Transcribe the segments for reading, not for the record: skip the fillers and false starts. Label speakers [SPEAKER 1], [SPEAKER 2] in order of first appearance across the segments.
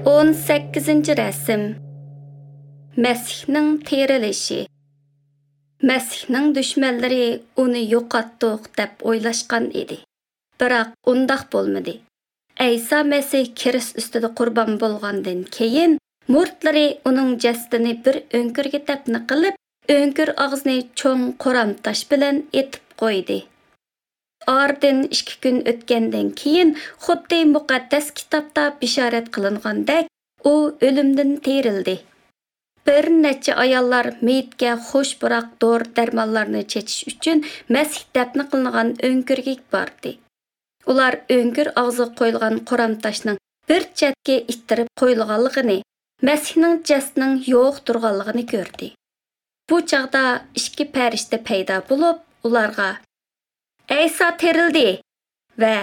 [SPEAKER 1] 18-rasm. Məsihning terilishi. Məsihning dushmanlari uni yo'qotdik deb o'ylashgan edi. Biroq undaq bo'lmadi. Ayso Masih krist ustida qurbon bo'lgandan keyin murtlari uning jasadini bir o'nkirga dafn qilib, o'nkir og'zini cho'ng qoram tosh bilan etib qo'ydi. Ardin 2 kun o'tgandan keyin xuddi muqaddas kitobda bishorat qilingandek, u o'limdan terildi. Bir necha ayollar meyitga xush biroq dori darmonlarni chechish uchun Masih dafn qilingan o'nkirga bordi. Ular o'nkir og'ziga qo'yilgan qoram toshning bir chetga ittirib qo'yilganligini, Masihning jasadining yo'q turganligini ko'rdi. Bu chaqda 2 farishta paydo bo'lib, ularga: "Ayso terildi va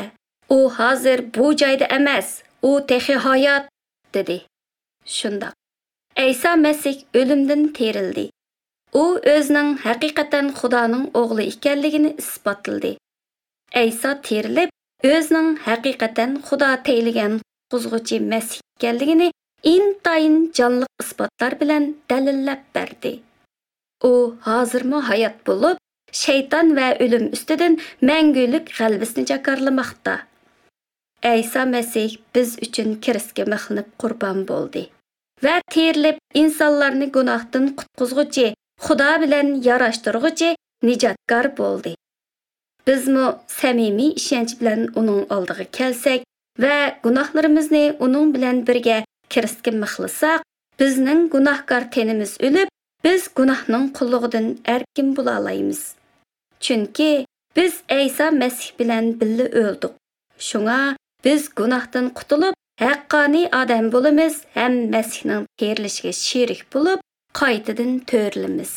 [SPEAKER 1] u hozir bu joyda emas, u texi hayot" dedi. Shundoq Ayso Masih o'limdan terildi. U o'zining haqiqatan Xudoning o'g'li ekanligini isbotladi. Ayso terilib, o'zining haqiqatan Xudo tayinlagan quzg'uchi Masih ekanligini intayin jonliq isbotlar bilan dalillab berdi. U hozirmi hayot bo'lib, shayton va o'lim ustidan mangulik g'alabasini jakarlamoqda. Ayso Masih biz uchun kristga mixlanib qurbon bo'ldi va terilib insonlarni gunohdan qutqizg'uchi, Xudo bilan yarashtirg'uchi nijotkor bo'ldi. Bizmi samimiy ishonch bilan uning oldiga kelsak va gunohlarimizni uning bilan birga kristga mixlasak, bizning gunohkor tenimiz o'lib, biz gunohning qulluqdan erkin bo'la olamiz. Chunki biz Ayso Masih bilan birga o'ldik. Shunga biz gunohdan qutulib, haqqoniy odam bo'lamiz ham Masihning terilishiga sherik bo'lib, qaytadan to'rilamiz.